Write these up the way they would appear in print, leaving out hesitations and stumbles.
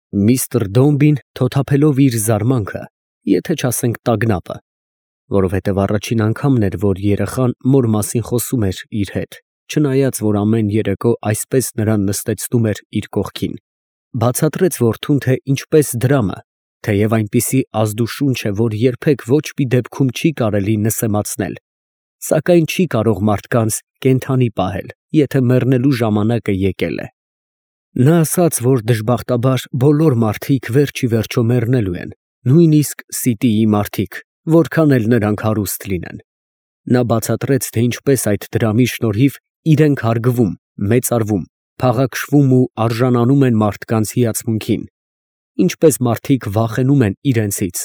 Միստր Դոմբին թոթափելով իր զարմանքը, եթե չասենք տագնապը, որովհետև առաջին անգամն էր, որ երեխան մոր մասին խոսում էր իր հետ, չնայած որ ամեն երեկո այսպես նրան նստեցնում էր իր կողքին, բացատրեց որդուն, թե ինչպես դրամը, թեև այնպիսի ազդուշունչ է, որ երբեք ոչ մի դեպքում չի կարելի նսեմացնել, սակայն չի կարող մարդկանց կենդանի պահել, եթե մեռնելու ժամանակը եկել է։ Նա ասաց, որ դժբախտաբար բոլոր մարդիկ վերջ ի վերջո մեռնելու են, նույնիսկ Սիտիի մարդիկ, որքան էլ նրանք հարուստ լինեն։ Նա բացատրեց, թե ինչպես այդ դրամի շնորհիվ իրենք հարգվում, մեծարվում, փաղաքշվում ու արժանանում են մարդկանց հիացմունքին, ինչպես մարդիկ վախենում են իրենցից,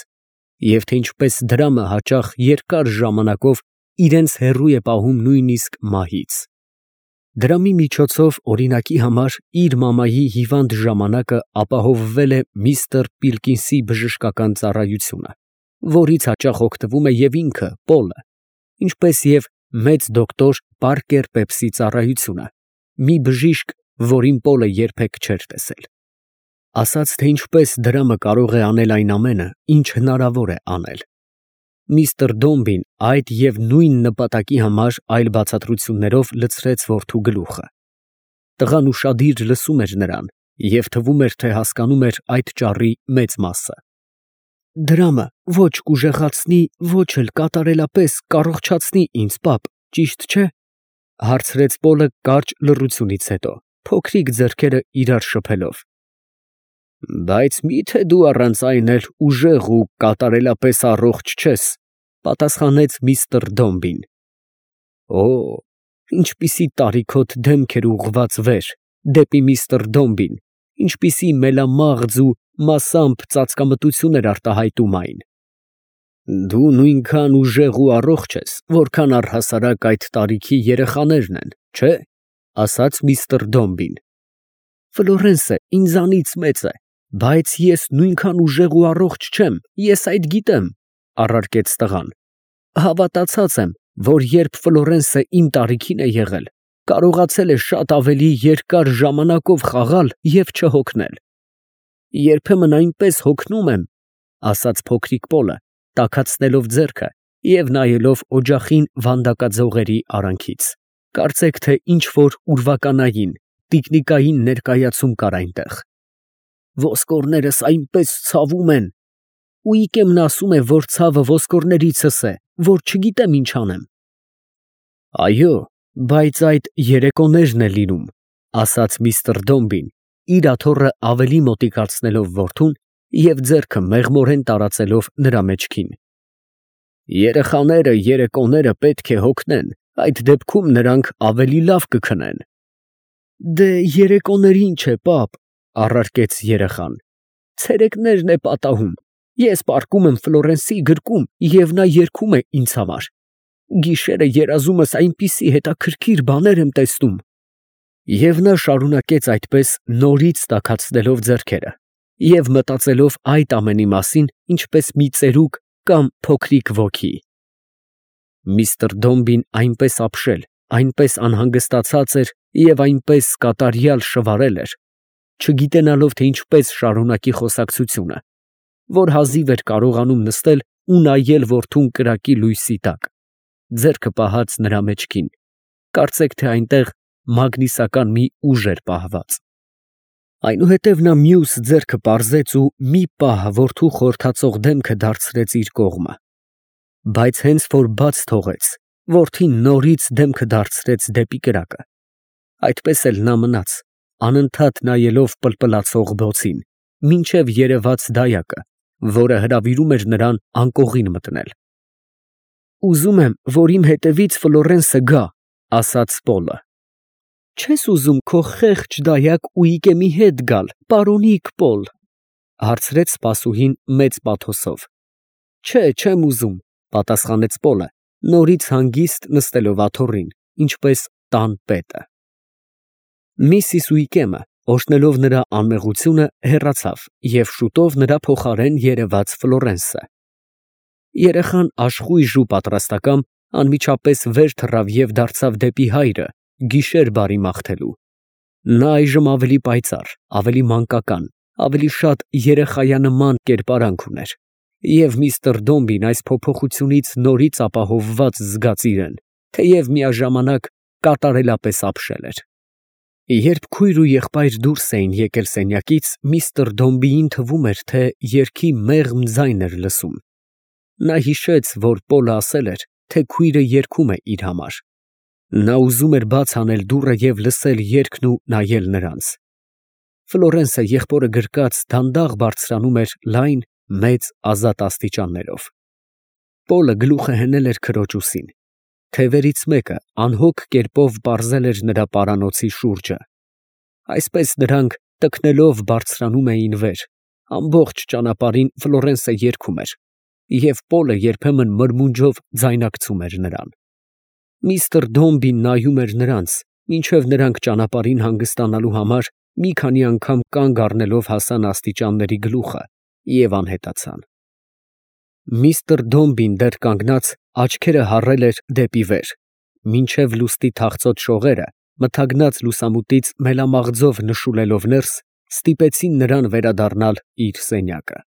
և թե ինչպես դրամը հաճախ երկար ժամանակով իրենց հեռու է պահում նույնիսկ մահից։ Դրամի միջոցով օրինակի համար իր մամայի հիվանդ ժամանակը ապահովվել է միստր Պիլկինսի բժշկական ծառայությունը, որից հաճախ օգտվում է և ինքը Պոլը, ինչպես և մեծ դոկտոր Պարկեր Պեպսի ծառայությունը, մի բժիշկ, որին Պոլը երբեք չէր տեսել։ Ասաց, թե ինչպես դրամը կարող է անել այն ամենը, ինչ հնարավոր է անել։ Միստր Դոմբին այդ և նույն նպատակի համար այլ բացատրություններով լցրեց որդու գլուխը։ Տղան ուշադիր լսում էր նրան և թվում էր, թե հասկանում էր այդ ճառի մեծ մասը։ Դրամը ոչ կուժեղացնի, ոչ էլ կատարելապես կառողջացնի ինձ, պապ, ճիշտ չէ՞, հարցրեց Պոլը կարճ լռությունից հետո, փոքրիկ ձեռքերը իրար շփելով։ Բայց մի՞թե դու առանց այն էլ ուժեղ ու կատարելապես առողջ չես, պատասխանեց միստր Դոմբին։ Օ, ինչպիսի տարիքոտ դեմք էր ուղղված վեր, դեպի միստր Դոմբին, ինչպիսի մելամաղձ ու մասամբ ծածկամտություն էր արտահայտում այն։ Դու նույնքան ուժեղ ու առողջ ես, որքան առհասարակ այդ տարիքի երեխաներն են, չէ՞, ասաց միստր Դոմբին։ Ֆլորենսը ինձանից մեծ է, բայց ես նույնքան ուժեղ ու առողջ չեմ, ես այդ գիտեմ, առարկեց տղան։ Հավատացած եմ, որ երբ Ֆլորենսը իմ տարիքին է եղել, կարողացել է շատ ավելի երկար ժամանակով խաղալ և չհոգնել։ Երբեմն այնպես հոգնում եմ, ասաց փոքրիկ Պոլը, տաքացնելով ձեռքը և նայելով օջախին վանդակաձողերի արանքից, կարծեք թե ինչ որ ուրվականային, տիկնիկային ներկայացում կար այնտեղ։ Ոսկորներս այնպես ցավում են։ Ուիկեմն ասում է, որ ցավը ոսկորներիցս է, որ չգիտեմ ինչ անեմ։ Այո, բայց այդ երեկոներն է լինում, ասաց միստր Դոմբին, իր աթոռը ավելի մոտիկացնելով որդուն և ձեռքը մեղմորեն տարածելով նրա մեջքին։ Երեխաները երեկոները պետք է հոգնեն, այդ դեպքում նրանք ավելի լավ կքնեն։ Դե երեկոներ ինչ է, պապ, առարկեց երեխան։ Ցերեկներն է պատահում։ Ես պառկում եմ Ֆլորենսի գրկում և նա երգում է ինձ համար։ Գիշերը երազումս այնպիսի հետաքրքիր բաներ եմ տեսնում։ Եվ նա շարունակեց այդպես նորից տաքացնելով ձեռքերը և մտածելով այդ ամենի մասին, ինչպես մի ծերուկ կամ փոքրիկ ոգի։ Միստր Դոմբին այնպես ապշել, այնպես անհանգստացած էր և այնպես կատարյալ շվարել էր, չգիտենալով, թե ինչպես շարունակի խոսակցությունը, որ հազիվ էր կարողանում նստել ու նայել որդուն կրակի լույսի տակ, ձեռքը պահած նրա մեջքին, կարծեք թե այնտեղ մագնիսական մի ուժ էր պահված։ Այնուհետև նա մյուս ձեռքը պարզեց ու մի պահ որդու խորթացող դեմքը դարձրեց իր կողմը, բայց հենց որ բաց թողեց, որդին նորից դեմքը դարձրեց դեպի կրակը։ Այդպես էլ նա մնաց, անընդհատ նայելով պլպլացող բոցին, մինչև երևաց դայակը, որը հրավիրում էր նրան անկողին մտնել։ Ուզում եմ, որ իմ հետևից Ֆլորենսը գա, ասաց Պոլը։ Չես ուզում քո խեղճ դայակ Ուիկեմի հետ գալ, պարոնիկ Պոլ, հարցրեց սպասուհին մեծ պաթոսով։ Չէ, չեմ ուզում, պատասխանեց Պոլը, նորից հանգիստ նստելով աթոռին, ինչպես տան պետը։ Միսիս Ուիկեմը, օրհնելով նրա անմեղությունը, հեռացավ և շուտով նրա փոխարեն երևաց Ֆլորենսը։ Երեխան աշխույժ ու պատրաստակամ անմիջապես վեր թռավ և դարձավ դեպի հայրը, գիշեր բարի մաղթելու։ Նա այժմ ավելի պայծառ, ավելի մանկական, ավելի շատ երեխայանման կերպարանք ուներ, և միստր Դոմբին այս փոփոխությունից նորից ապահովված զգաց իրեն, թեև միաժամանակ կատարելապես ապշել էր։ Երբ քույր ու եղբայր դուրս էին եկել սենյակից, միստր Դոմբիին թվում էր, թե երգի մեղմ ձայն էր լսում։ Նա հիշեց, որ Պոլը ասել էր, թե քույրը երգում է իր համար։ Նա ուզում էր բաց անել դուռը և լսել երգն ու նայել նրանց։ Ֆլորենսը եղբորը գրկած դանդաղ բարձրանում էր լայն, մեծ, ազատ աստիճաններով։ Պոլը գլուխը հենել էր քրոջ ուսին։ Թևերից մեկը անհոգ կերպով պարզել էր նրա պարանոցի շուրջը։ Այսպես նրանք տքնելով բարձրանում էին վեր։ Ամբողջ ճանապարհին Ֆլորենսը երգում էր, և Պոլը երբեմն մրմունջով ձայնարկում էր նրան։ Միստր Դոմբին նայում էր նրանց, մինչև նրանք ճանապարհին հանգստանալու համար մի քանի անգամ կանգ առնելով հասան աստիճանների գլուխը և անհետացան։ Միստր Դոմբին դեռ կանգնած աչքերը հառել էր դեպի վեր, մինչև լուստի թախծոտ շողերը, մթագնած լուսամուտից մելամաղձով նշուլելով ներս, ստիպեցին նրան վերադառնալ իր սենյակը։